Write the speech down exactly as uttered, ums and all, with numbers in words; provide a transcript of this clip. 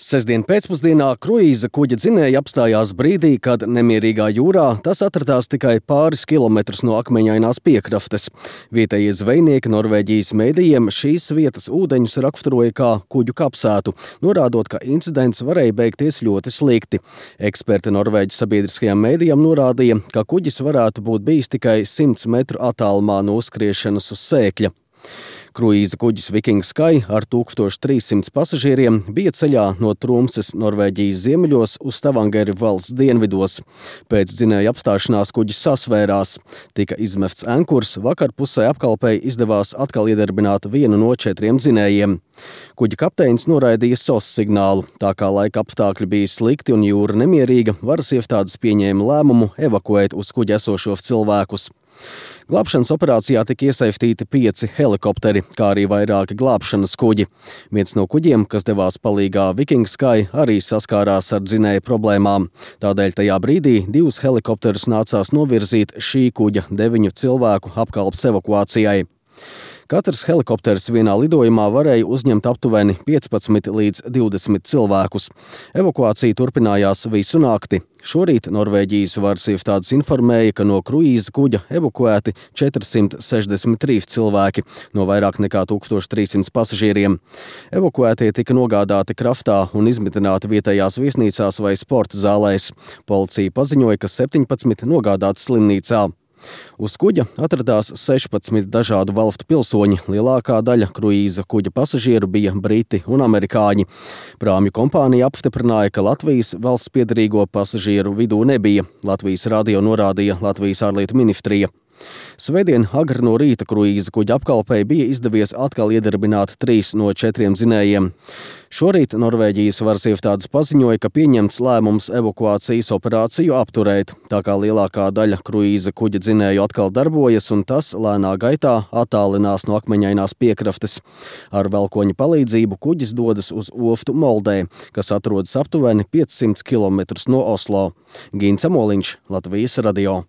Sestdien pēcpusdienā kruīza kuģa dzinēji apstājās brīdī, kad nemierīgā jūrā tas atradās tikai pāris kilometrus no akmeņainās piekrastes. Vietējie zvejnieki Norvēģijas mēdījiem šīs vietas ūdeņus raksturoja kā kuģu kapsētu, norādot, ka incidents varēja beigties ļoti slikti. Eksperti Norvēģijas sabiedriskajam mēdījam norādīja, ka kuģis varētu būt bijis tikai simts metru attālumā no uzskriešanas uz sēkļa. Kruīza kuģis Viking Sky ar tūkstoš trīssimts pasažieriem bija ceļā no Tromses Norvēģijas ziemeļos uz Stavangeri valsts dienvidos. Pēc dzinēja apstāšanās kuģis sasvērās. Tika izmests ankurs, vakar pusē apkalpei izdevās atkal iedarbināt vienu no četriem dzinējiem. Kuģa kapteinis noraidīja S O S signālu. Tā kā laika apstākļi bija slikti un jūra nemierīga, varas iestādes pieņēma lēmumu evakuēt uz kuģa esošos cilvēkus. Glābšanas operācijā tika iesaistīti pieci helikopteri, kā arī vairāki glābšanas kuģi. Viens no kuģiem, kas devās palīgā Viking Sky, arī saskārās ar dzinēju problēmām. Tādēļ tajā brīdī divus helikopterus nācās novirzīt šī kuģa deviņu cilvēku apkalpes evakuācijai. Katrs helikopters vienā lidojumā varēja uzņemt aptuveni piecpadsmit līdz divdesmit cilvēkus. Evakuācija turpinājās visu nakti. Šorīt Norvēģijas varas iestādes informēja, ka no kruīza kuģa evakuēti četrsimt sešdesmit trīs cilvēki no vairāk nekā tūkstoš trīssimts pasažieriem. Evakuētie tika nogādāti kraftā un izmitināti vietējās viesnīcās vai sporta zālēs. Policija paziņoja, ka septiņpadsmit nogādāti slimnīcā. Uz kuģa atradās sešpadsmit dažādu valstu pilsoņi, lielākā daļa kruīza kuģa pasažieru bija briti un amerikāņi. Prāmju kompānija apstiprināja, ka Latvijas valsts piederīgo pasažieru vidū nebija. Latvijas radio norādīja Latvijas ārlietu ministrija. Svētdien agri no rīta kruīza kuģa apkalpei bija izdevies atkal iedarbināt trīs no četriem dzinējiem. Šorīt Norvēģijas varas iestādes paziņoja, ka pieņemts lēmums evakuācijas operāciju apturēt, tā kā lielākā daļa kruīza kuģa dzinēju atkal darbojas un tas lēnā gaitā attālinās no akmeņainās piekrastes. Ar velkoņa palīdzību kuģis dodas uz ostu Moldē, kas atrodas aptuveni piecsimt kilometrus no Oslo. Gints Amoliņš, Latvijas radio.